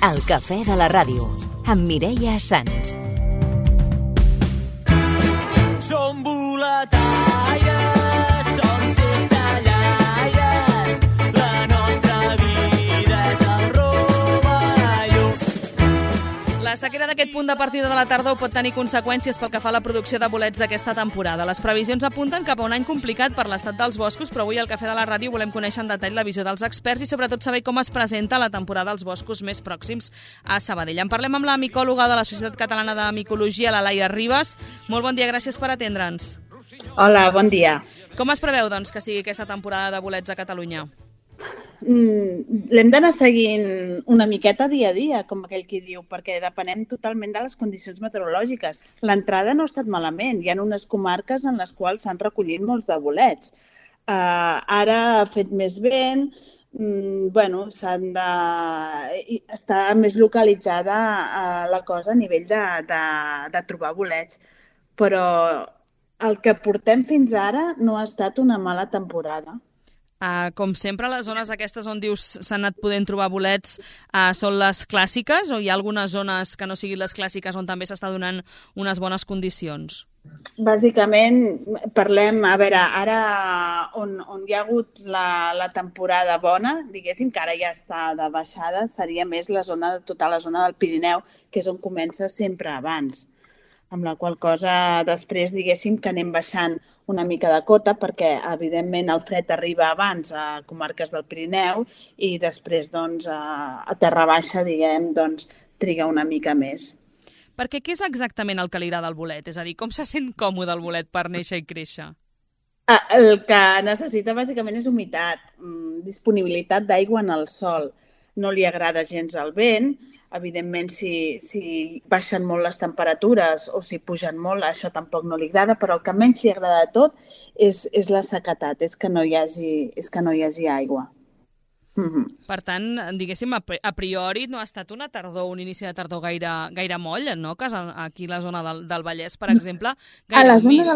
El cafè de la ràdio, amb Mireia Sans. Som boletaires, som cistellaires, la nostra vida és el rovelló. La sequera d'aquest punt de partida de la tardor pot tenir conseqüències pel que fa a la producció de bolets d'aquesta temporada. Les previsions apunten cap a un any complicat per l'estat dels boscos, però avui al Cafè de la Ràdio volem conèixer en detall la visió dels experts i sobretot saber com es presenta la temporada dels boscos més pròxims a Sabadell. En parlem amb la micòloga de la Societat Catalana de Micologia, la Laia Ribas. Molt bon dia, gràcies per atendre'ns. Hola, bon dia. Com es preveu, doncs, que sigui aquesta temporada de bolets a Catalunya? L'hem d'anar seguint una miqueta dia a dia, com aquell qui diu, perquè depenem totalment de les condicions meteorològiques. L'entrada no ha estat malament. Hi ha unes comarques en les quals s'han recollit molts de bolets. Ara ha fet més vent, està més localitzada la cosa a nivell de trobar bolets. Però el que portem fins ara no ha estat una mala temporada. Com sempre, les zones aquestes on dius s'han anat podent trobar bolets són les clàssiques o hi ha algunes zones que no siguin les clàssiques on també s'està donant unes bones condicions? Bàsicament, parlem, a veure, ara on hi ha hagut la temporada bona, diguéssim que ara ja està de baixada, seria més tota la zona del Pirineu, que és on comença sempre abans. Amb la qual cosa després, diguéssim, que anem baixant una mica de cota perquè, evidentment, el fred arriba abans a comarques del Pirineu i després, doncs, a terra baixa, diguem, doncs, triga una mica més. Perquè què és exactament el que li agrada al bolet? És a dir, com se sent còmode el bolet per néixer i créixer? El que necessita, bàsicament, és humitat, disponibilitat d'aigua en el sòl. No li agrada gens el vent. Evidentment, si baixen molt les temperatures o si pugen molt, això tampoc no li agrada, però el que menys li agrada de tot és la sequetat, és que no hi hagi aigua. Per tant, diguéssim, a priori no ha estat una tardor, un inici de tardor gaire moll, no? Que aquí a la zona del Vallès, per exemple, gaire humil.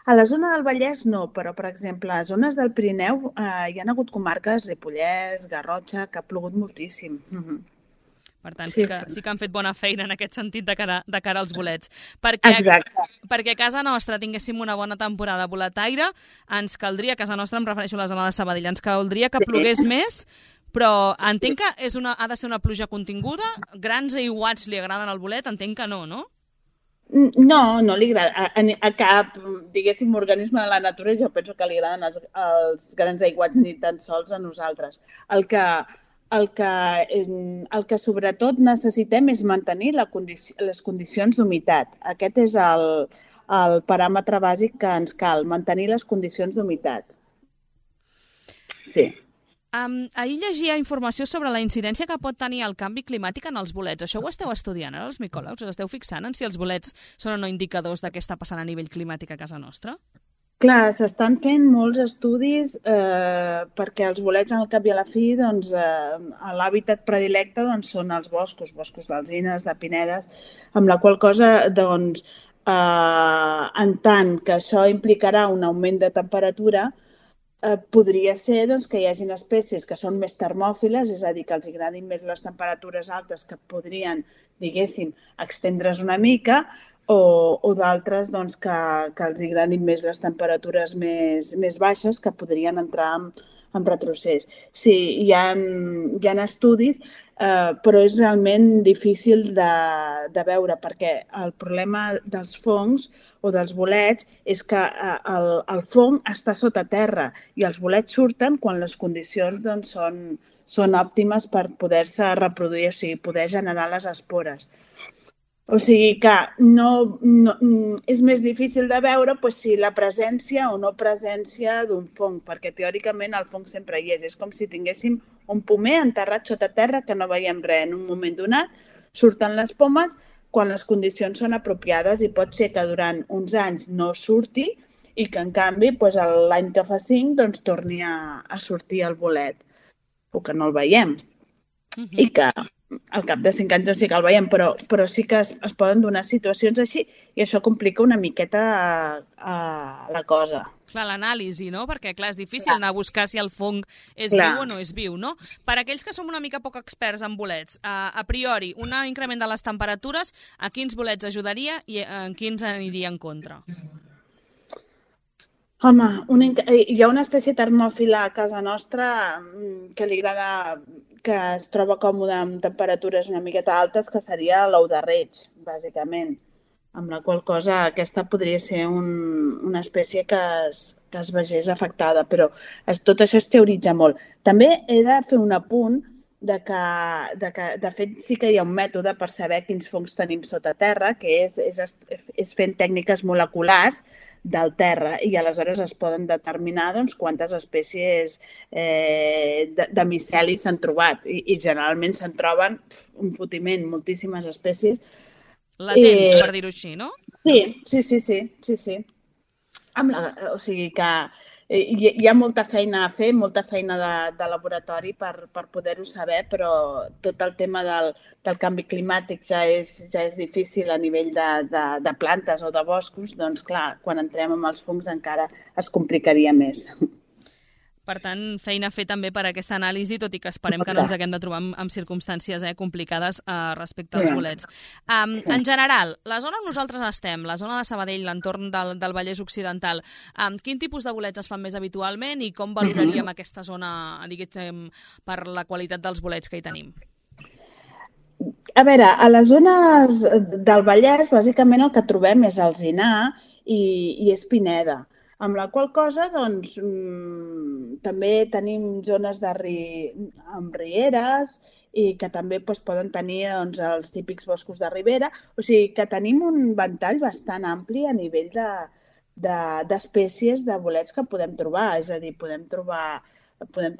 A la zona del Vallès no, però, per exemple, a zones del Pirineu hi ha hagut comarques, Ripollès, Garrotxa, que ha plogut moltíssim. Per tant, sí que han fet bona feina en aquest sentit de cara als bolets. Perquè a casa nostra tinguéssim una bona temporada boletaire, ens caldria, a casa nostra em refereixo a la zona de Sabadell, ens caldria que plogués més, però entenc que ha de ser una pluja continguda, grans aiguats li agraden al bolet, entenc que no, no? No li agrada. A cap, diguéssim, organisme de la natura jo penso que li agraden els grans aiguats ni tan sols a nosaltres. El que sobretot necessitem és mantenir les condicions d'humitat. Aquest és el paràmetre bàsic que ens cal, mantenir les condicions d'humitat. Sí. Ahir llegia informació sobre la incidència que pot tenir el canvi climàtic en els bolets. Això ho esteu estudiant ara, els micòlegs? Us esteu fixant en si els bolets són o no indicadors de què està passant a nivell climàtic a casa nostra? Clar, s'estan fent molts estudis perquè els bolets, al cap i a la fi, doncs, l'hàbitat predilecte són els boscos d'alzines, de pinedes, amb la qual cosa, doncs, en tant que això implicarà un augment de temperatura, podria ser que hi hagin espècies que són més termòfiles, és a dir, que els agradin més les temperatures altes que podrien, diguéssim, extendre's una mica, o d'altres que els agradin més les temperatures més baixes que podrien entrar en retrocés. Sí, hi ha estudis, però és realment difícil de veure perquè el problema dels fongs o dels bolets és que el fong està sota terra i els bolets surten quan les condicions són òptimes per poder-se reproduir, o sigui, poder generar les espores. O sigui que és més difícil de veure si la presència o no presència d'un fong, perquè teòricament el fong sempre hi és. És com si tinguéssim un pomer enterrat sota terra que no veiem res. En un moment donat surten les pomes quan les condicions són apropiades i pot ser que durant uns anys no surti i que en canvi l'any que fa 5 torni a sortir el bolet o que no el veiem. I que al cap de 5 anys no sí que el veiem, però sí que es poden donar situacions així i això complica una miqueta la cosa. Clar, l'anàlisi, no? Perquè, clar, és difícil anar a buscar si el fong és Clar. viu o no és viu, no? Per aquells que som una mica poc experts en bolets, a priori, un increment de les temperatures, a quins bolets ajudaria i en quins aniria en contra? Home, hi ha una espècie termòfila a casa nostra que li agrada, que es troba còmode amb temperatures una miqueta altes, que seria l'ou de reig, bàsicament. Amb la qual cosa aquesta podria ser una espècie que es vegés afectada, però tot això es teoritza molt. També he de fer un apunt de fet sí que hi ha un mètode per saber quins fongs tenim sota terra, que és fent tècniques moleculars del terra i aleshores es poden determinar doncs, quantes espècies de miceli s'han trobat i generalment se'n troben un fotiment, moltíssimes espècies. Latents, per dir-ho així, no? Sí. O sigui que hi ha molta feina a fer, molta feina de laboratori per poder-ho saber, però tot el tema del canvi climàtic ja és difícil a nivell de plantes o de boscos, doncs clar, quan entrem amb els fongs encara es complicaria més. Per tant, feina a fer també per aquesta anàlisi, tot i que esperem que no ens haguem de trobar en circumstàncies complicades respecte als bolets. En general, la zona on nosaltres estem, la zona de Sabadell, l'entorn del Vallès Occidental, quin tipus de bolets es fan més habitualment i com valoraríem aquesta zona, diguéssim, per la qualitat dels bolets que hi tenim? A veure, a les zones del Vallès, bàsicament el que trobem és alzinar i és pineda. Amb la qual cosa, doncs, també tenim zones amb rieres i que també poden tenir els típics boscos de ribera. O sigui que tenim un ventall bastant ampli a nivell d'espècies de bolets que podem trobar. És a dir, podem trobar...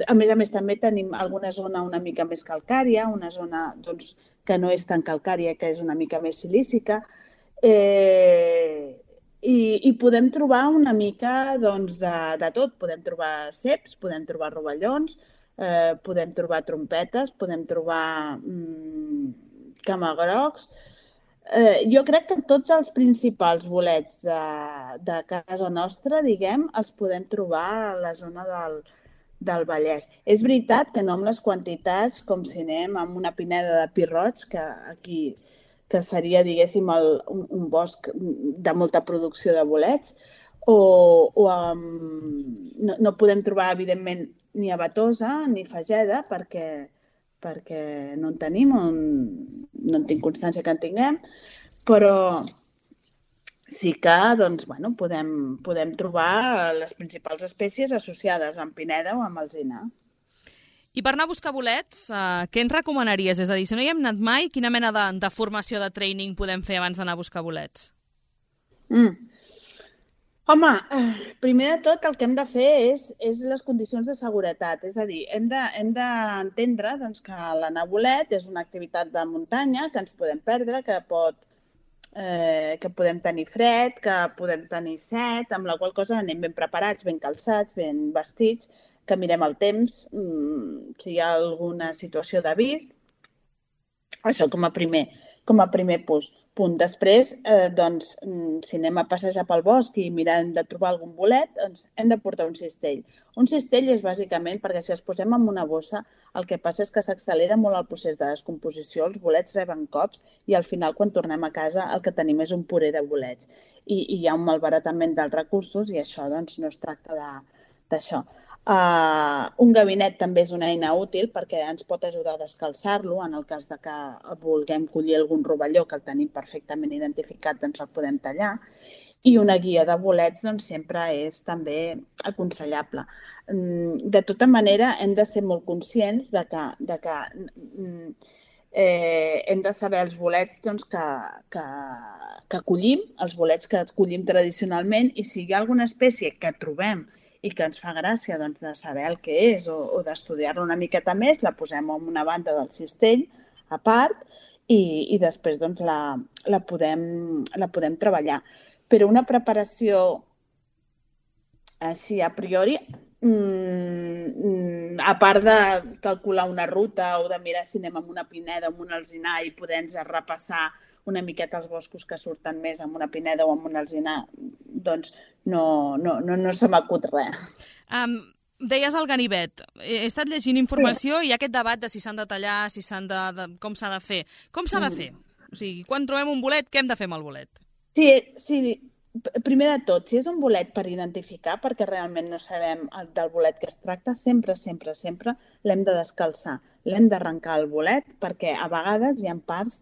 A més, també tenim alguna zona una mica més calcària, una zona que no és tan calcària, que és una mica més silícica. I podem trobar una mica de tot. Podem trobar ceps, podem trobar rovellons, podem trobar trompetes, podem trobar camagrocs. Jo crec que tots els principals bolets de casa nostra, diguem, els podem trobar a la zona del Vallès. És veritat que no amb les quantitats com si anem amb una pineda de pi roig, que aquí... que seria, diguéssim, un bosc de molta producció de bolets, no podem trobar, evidentment, ni abatosa ni fageda, perquè no en tenim, no en tinc constància que en tinguem, però sí que podem trobar les principals espècies associades amb pineda o amb alzina. I per anar a buscar bolets, què ens recomanaries? És a dir, si no hi hem anat mai, quina mena de formació de training podem fer abans d'anar a buscar bolets? Home, primer de tot el que hem de fer és les condicions de seguretat. És a dir, hem d'entendre que l'anar a bolet és una activitat de muntanya, que ens podem perdre, que podem tenir fred, que podem tenir set, amb la qual cosa anem ben preparats, ben calçats, ben vestits, que mirem el temps, si hi ha alguna situació d'avís. Això com a primer punt. Després, si anem a passejar pel bosc i mirem de trobar algun bolet, hem de portar un cistell. Un cistell és bàsicament perquè si els posem en una bossa, el que passa és que s'accelera molt el procés de descomposició, els bolets reben cops i al final, quan tornem a casa, el que tenim és un puré de bolets. I hi ha un malbaratament dels recursos i això no es tracta d'això. Un gabinet també és una eina útil perquè ens pot ajudar a descalçar-lo en el cas de que vulguem collir algun rovelló que el tenim perfectament identificat, doncs el podem tallar. I una guia de bolets sempre és també aconsellable. De tota manera, hem de ser molt conscients de que hem de saber els bolets que collim, els bolets que collim tradicionalment, i si hi ha alguna espècie que trobem i que ens fa gràcia de saber el que és o d'estudiar-lo una miqueta més, la posem en una banda del cistell a part i després la podem treballar. Però una preparació així a priori a part de calcular una ruta o de mirar si anem amb una pineda o amb un alzinar i poder-nos repassar una miqueta els boscos que surten més amb una pineda o amb un alzinar, doncs no se m'acut res. Deies el ganivet. He estat llegint informació i hi ha aquest debat de si s'han de tallar, com s'ha de fer. Com s'ha de fer? O sigui, quan trobem un bolet, què hem de fer amb el bolet? Sí. Primer de tot, si és un bolet per identificar, perquè realment no sabem del bolet que es tracta, sempre l'hem de descalçar. L'hem d'arrencar el bolet perquè a vegades hi ha parts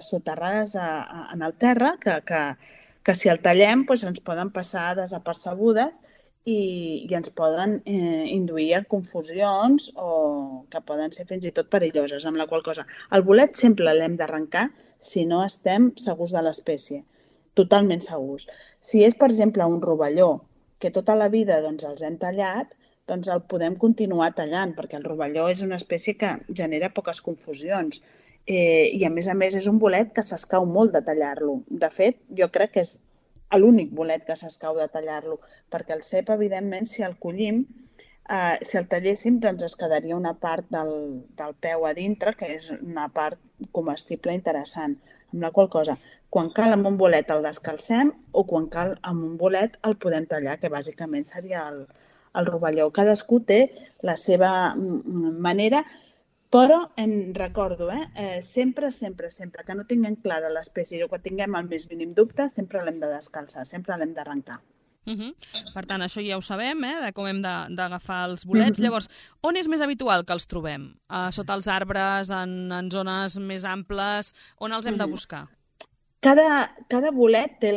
soterrades en el terra que si el tallem doncs ens poden passar desapercebudes i ens poden induir a confusions o que poden ser fins i tot perilloses, amb la qual cosa el bolet sempre l'hem d'arrencar si no estem segurs de l'espècie. Totalment segurs. Si és, per exemple, un rovelló que tota la vida doncs, els hem tallat, doncs el podem continuar tallant, perquè el rovelló és una espècie que genera poques confusions. I, a més, és un bolet que s'escau molt de tallar-lo. De fet, jo crec que és l'únic bolet que s'escau de tallar-lo, perquè el cep, evidentment, si el collim, si el talléssim, doncs es quedaria una part del peu a dintre, que és una part comestible interessant. Amb la qual cosa, quan cal amb un bolet el descalcem o quan cal amb un bolet el podem tallar, que bàsicament seria el rovelló. Cadascú té la seva manera, però em recordo, sempre que no tinguem clara l'espècie o que tinguem el més mínim dubte, sempre l'hem de descalçar, sempre l'hem d'arrencar. Per tant, això ja ho sabem, de com hem d'agafar els bolets. Llavors, on és més habitual que els trobem? Sota els arbres, en zones més amples? On els hem de buscar? Cada bolet té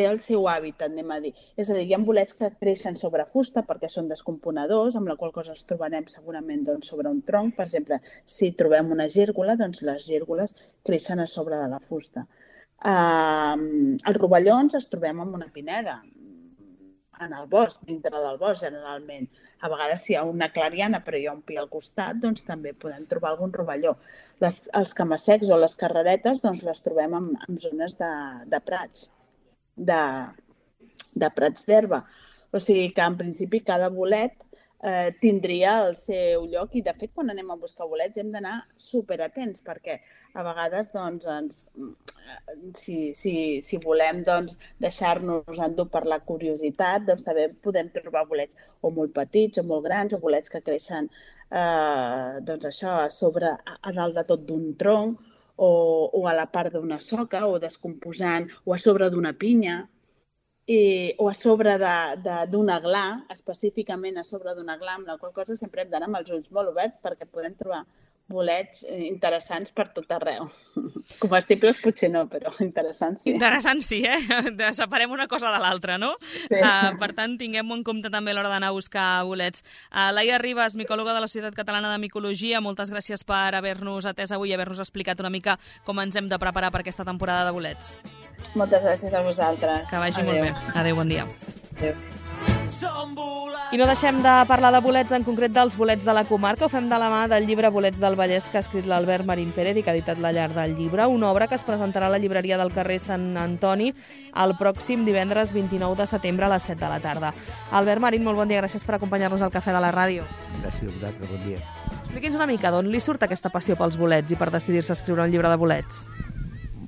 el seu hàbitat, anem a dir. És a dir, hi ha bolets que creixen sobre fusta perquè són descomponedors, amb la qual cosa els trobarem segurament sobre un tronc. Per exemple, si trobem una gírgola, doncs les gírgoles creixen a sobre de la fusta. Els rovellons els trobem en una pineda, en el bosc, dintre del bosc, generalment. A vegades si hi ha una clariana però hi ha un pi al costat, doncs també podem trobar algun rovelló. Els camassecs o les carreretes doncs les trobem en zones de prats, de prats d'herba. O sigui que en principi cada bolet tindria el seu lloc i de fet quan anem a buscar bolets hem d'anar superatents perquè a vegades doncs, si volem doncs, deixar-nos endur per la curiositat doncs també podem trobar bolets o molt petits o molt grans o bolets que creixen doncs això a dalt de tot d'un tronc o a la part d'una soca o descomposant o a sobre d'una pinya. O a sobre d'un aglà, específicament a sobre d'un aglà, amb la qual cosa sempre hem d'anar amb els ulls molt oberts perquè podem trobar bolets interessants per tot arreu. Comestibles potser no, però interessants sí. Interessants sí, Separem una cosa de l'altra, no? Sí. Per tant, tinguem-ho en compte també a l'hora d'anar a buscar bolets. Laia Ribas, micòloga de la Societat Catalana de Micologia, moltes gràcies per haver-nos atès avui i haver-nos explicat una mica com ens hem de preparar per aquesta temporada de bolets. Moltes gràcies a vosaltres. Que vagi molt bé. Adéu, bon dia. Adéu. I no deixem de parlar de bolets, en concret dels bolets de la comarca. Ho fem de la mà del llibre Bolets del Vallès que ha escrit l'Albert Marín Pérez i que ha editat La Llar del Llibre, una obra que es presentarà a la llibreria del carrer Sant Antoni el pròxim divendres 29 de setembre a les 7 de la tarda. Albert Marín, molt bon dia, gràcies per acompanyar-nos al Cafè de la Ràdio. Gràcies a vosaltres, bon dia. Expliqui'ns una mica d'on li surt aquesta passió pels bolets i per decidir-se a escriure un llibre de bolets.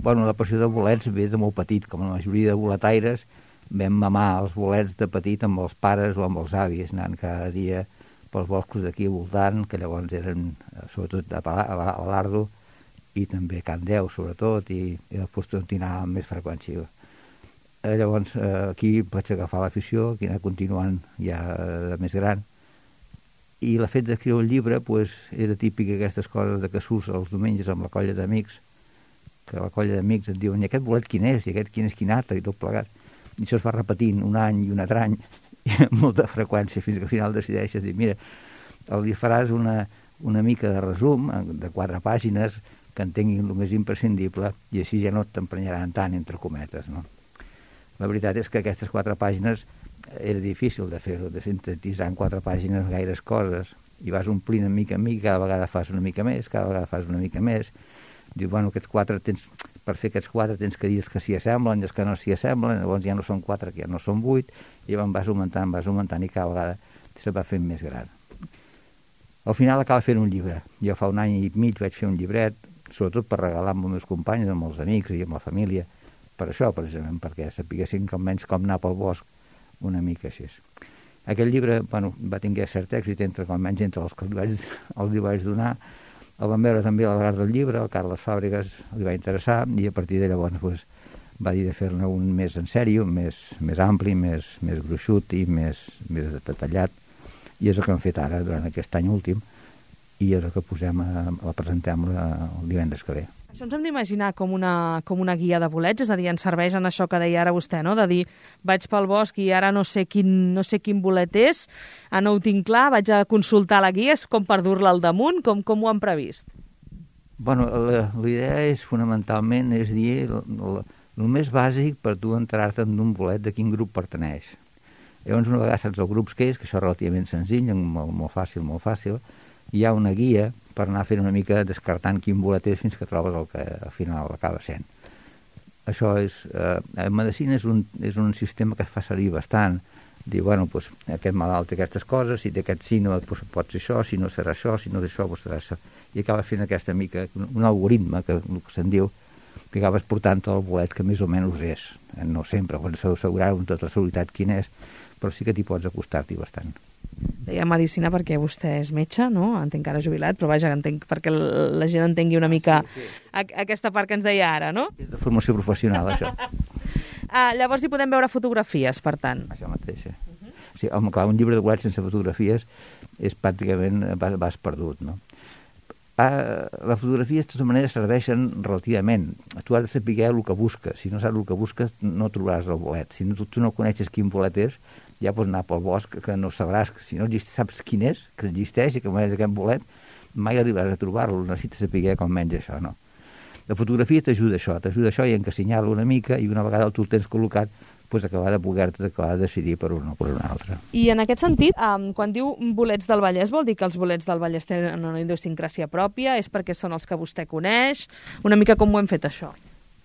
Bueno, la passió de bolets ve de molt petit, com la majoria de boletaires. Vam mamar els bolets de petit amb els pares o amb els avis, anant cada dia pels boscos d'aquí voltant, que llavors eren sobretot a l'Ardo i també a Can Deu, sobretot, i després continuar amb més freqüència. Llavors aquí vaig agafar l'afició, aquí anar continuant ja de més gran. I el fet d'escriure un llibre era típic aquestes coses de que surts els diumenges amb la colla d'amics, que la colla d'amics et diuen i aquest bolet quin és, i aquest quin és quin altre, i tot plegat. I això es va repetint un any i un altre any, i amb molta freqüència, fins que al final decideixes dir, mira, li faràs una mica de resum de 4 pàgines que entenguin el més imprescindible i així ja no t'emprenyaran tant, entre cometes, no? La veritat és que aquestes 4 pàgines era difícil de fer-ho, de sintetitzar en 4 pàgines gaires coses, i vas omplint de mica en mica, cada vegada fas una mica més, cada vegada fas una mica més. Diu, bueno, per fer aquests 4 tens que dir que s'hi assemblen, els que no s'hi assemblen, llavors ja no són 4, que ja no són 8, i llavors vas augmentant, i cada vegada se va fent més gran. Al final acaba fent un llibre. Jo fa un any i mig vaig fer un llibret, sobretot per regalar amb els meus companys, amb els amics i amb la família, per això, precisament, perquè sapiguessin almenys com anar pel bosc una mica així. Aquell llibre, bueno, va tenir cert èxit almenys entre els que li vaig donar. El van veure també a l'Algar del Llibre, el Carles Fàbregas li va interessar, i a partir de llavors doncs, va dir de fer-ne un més en sèrio, més ampli, més gruixut i més detallat, i és el que hem fet ara durant aquest any últim, i és el que la presentem el divendres que ve. Això ens hem d'imaginar com una guia de bolets, és a dir, ens serveix en això que deia ara vostè, no? De dir, vaig pel bosc i ara no sé quin bolet és, no ho tinc clar, vaig a consultar la guia, és com per dur-la al damunt, com ho han previst? Bueno, la idea és fonamentalment, és dir, el més bàsic per tu enterar-te d'un bolet de quin grup pertaneix. Llavors, una vegada saps els grups que és, que això és relativament senzill, molt fàcil, hi ha una guia per anar fent una mica descartant quin bolet és fins que trobes el que al final acaba sent. Això és... en medicina és un sistema que es fa servir bastant. Dir, bueno, doncs, aquest malalt té aquestes coses, si té aquest síndrome, doncs pot ser això, si no serà això, si no és això, doncs serà això. I acaba fent aquesta mica, un algoritme, que se'n diu, que acabes portant el bolet que més o menys és. No sempre, quan s'ha d'assegurar amb tota la seguretat quin és, però sí que t'hi pots acostar-t'hi bastant. Deia medicina perquè vostè és metge, no? Entenc que ara jubilat, però vaja, entenc perquè la gent entengui una mica aquesta part que ens deia ara, no? És de formació professional, això. Llavors hi podem veure fotografies, per tant. Això mateix, sí, home, clar, un llibre de bolets sense fotografies és pràcticament vas perdut, no? Les fotografies, de tota manera, serveixen relativament. Tu has de saber el que busques. Si no saps el que busques, no trobaràs el bolet. Si tu no coneixes quin bolet és, ja pots anar pel bosc, que no sabràs. Si no saps quin és, que existeix i que és aquest bolet, mai arribaràs a trobar-lo. Necessites saber com menys això, no? La fotografia t'ajuda això i a encassenyar-lo una mica, i una vegada tu el tens col·locat, doncs acabar de decidir per un o per un altre. I en aquest sentit, quan diu bolets del Vallès, vol dir que els bolets del Vallès tenen una idiosincràsia pròpia? És perquè són els que vostè coneix? Una mica com ho hem fet, això?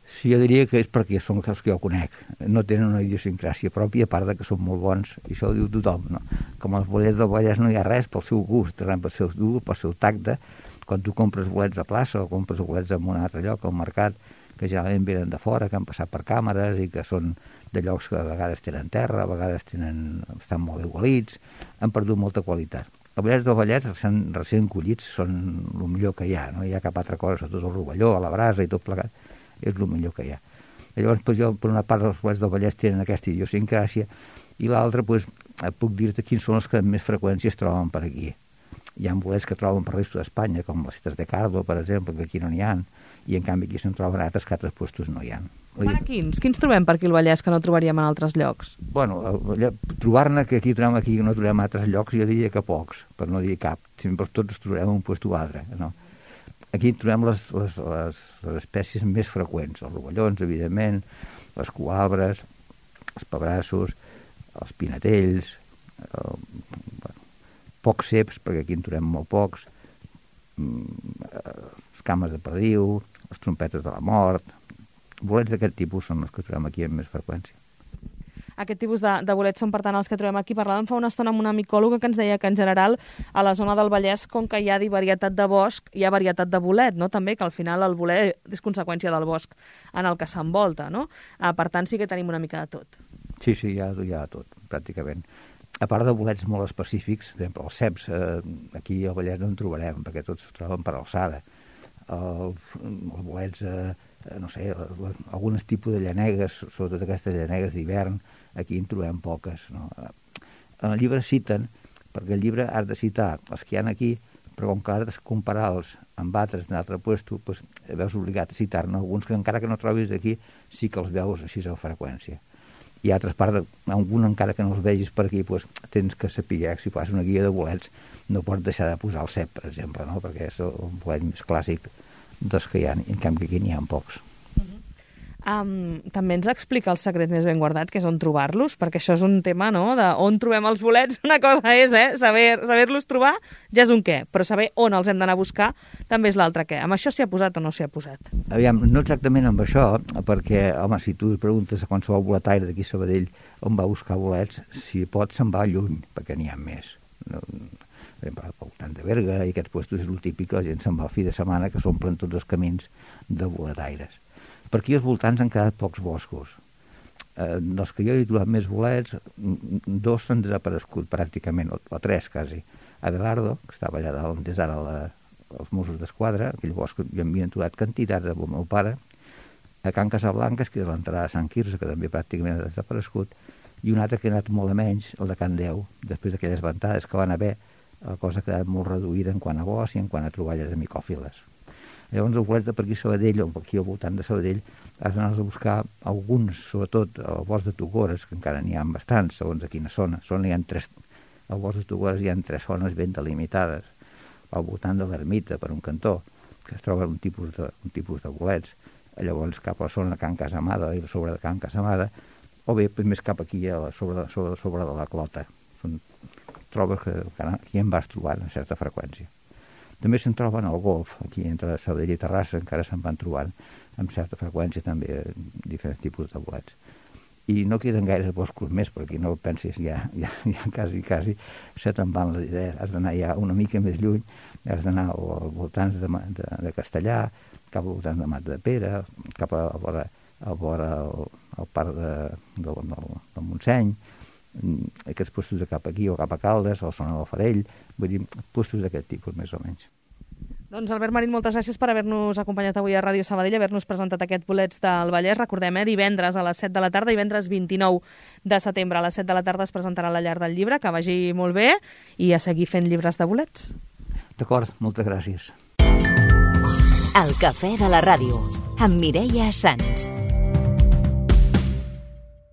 Sí, jo diria que és perquè són els que jo conec. No tenen una idiosincràsia pròpia, a part de que són molt bons, i això ho diu tothom, no? Com els bolets del Vallès no hi ha res pel seu gust, pel seu dur, pel seu tacte. Quan tu compres bolets a plaça o compres bolets en un altre lloc, al mercat, que generalment venen de fora, que han passat per càmeres i que són de llocs que a vegades tenen terra, a vegades estan molt bé gualits, han perdut molta qualitat. Els bolets del Vallès, recent collits, són el millor que hi ha, no hi ha cap altra cosa, sobretot el rovelló, la brasa i tot plegat, és el millor que hi ha. I llavors, jo, per una part, els bolets del Vallès tenen aquesta idiosincràsia, i l'altra, puc dir-te quins són els que més freqüència es troben per aquí. Hi ha bolets que troben per resto d'Espanya, com les cites de Cardo, per exemple, que aquí no n'hi ha, i en canvi aquí se'n troben altres que altres puestos no hi ha. Quins trobem per aquí al Vallès que no trobaríem en altres llocs? Bueno, trobar-ne que aquí trobem aquí no trobem a altres llocs, jo diria que pocs, per no dir cap. Sempre tots trobarem un puesto o altre, no? Aquí trobem les espècies més freqüents, els rovellons, evidentment, les coàlbres, els pebrassos, els pinatells, pocs ceps, perquè aquí en trobem molt pocs, les cames de perdiu, les trompetes de la mort. Bolets d'aquest tipus són els que trobem aquí amb més freqüència. Aquest tipus de bolets són, per tant, els que trobem aquí. Parlàvem fa una estona amb una micòloga que ens deia que, en general, a la zona del Vallès, com que hi ha varietat de bosc, hi ha varietat de bolet, no? També, que al final el bolet és conseqüència del bosc en el que s'envolta, no? Per tant, sí que tenim una mica de tot. Sí, hi ha de tot, pràcticament. A part de bolets molt específics, per exemple, els ceps, aquí al Vallès no en trobarem, perquè tots es troben per alçada. Els bolets, no sé, alguns tipus de llanegues, sobretot aquestes llanegues d'hivern, aquí en trobem poques, no? En el llibre citen, perquè el llibre has de citar els que hi ha aquí, però com que has de comparar-los amb altres d'un altre lloc, doncs veus obligat a citar-ne alguns que encara que no trobis aquí, sí que els veus així a freqüència. I a altres parts, algun encara que no els vegis per aquí, doncs tens que saber, si fas una guia de bolets, no pots deixar de posar el cep, per exemple, no? Perquè és un bolet més clàssic dels que hi ha, en canvi aquí n'hi ha pocs. També ens explica el secret més ben guardat, que és on trobar-los, perquè això és un tema, no?, d'on trobem els bolets. Una cosa és, saber-los trobar ja és un què, però saber on els hem d'anar a buscar també és l'altre què. Amb això s'hi ha posat o no s'hi ha posat? Aviam, no exactament amb això, perquè, home, si tu preguntes a qualsevol boletaire d'aquí a Sabadell on va buscar bolets, si pot se'n va lluny, perquè n'hi ha més. Per exemple, al voltant de Berga i aquests puestos és el típic, la gent se'n va al fi de setmana que s'omplen tots els camins de boletaires. Per aquí als voltants han quedat pocs boscos. Dels que jo he trobat més bolets, 2 s'han desaparegut pràcticament, o 3 quasi. Abelardo, que estava allà dalt, des ara els Mossos d'Esquadra, aquell bosc que hi havien trobat quantitats amb el meu pare, a Can Casablanques, que és l'entrada de Sant Quirze, que també pràcticament ha desaparegut, i un altre que ha anat molt a menys, el de Can Deu, després d'aquelles ventades que van haver, la cosa ha quedat molt reduïda en quant a bosc i en quant a troballes de micòfiles. Llavors, els bolets de per aquí a Sabadell, o aquí al voltant de Sabadell, has d'anar a buscar alguns, sobretot al bosc de Togores, que encara n'hi ha bastants, segons a quina zona. Al bosc de Togores hi ha 3 zones ben delimitades, al voltant de l'ermita, per un cantó, que es troba un tipus de bolets. Llavors, cap a la zona de Can Casamada i a sobre de Can Casamada, o bé més cap aquí, sobre de la Clota. Són trobes que aquí en vas trobant amb certa freqüència. També se'n troben al Golf, aquí entre Sabadell i Terrassa, encara se'n van trobant amb certa freqüència també diferents tipus de bolets. I no queden gaires boscos més, perquè no pensis, ja quasi se te'n van les idees. Has d'anar ja una mica més lluny, has d'anar als voltants de Castellà, cap al voltant de Mat de Pere, cap a vora al parc del Montseny, aquests puestos de cap aquí o cap a Caldes, o zona del Farell, vull dir, puestos d'aquest tipus més o menys. Doncs Albert Marín, moltes gràcies per haver-nos acompanyat avui a Ràdio Sabadell, haver-nos presentat aquests bolets del Vallès. Recordem, divendres a les 7 de la tarda, divendres 29 de setembre a les 7 de la tarda es presentarà la Llar del Llibre, que vagi molt bé, i a seguir fent llibres de bolets. D'acord, moltes gràcies. El cafè de la ràdio, amb Mireia Sans.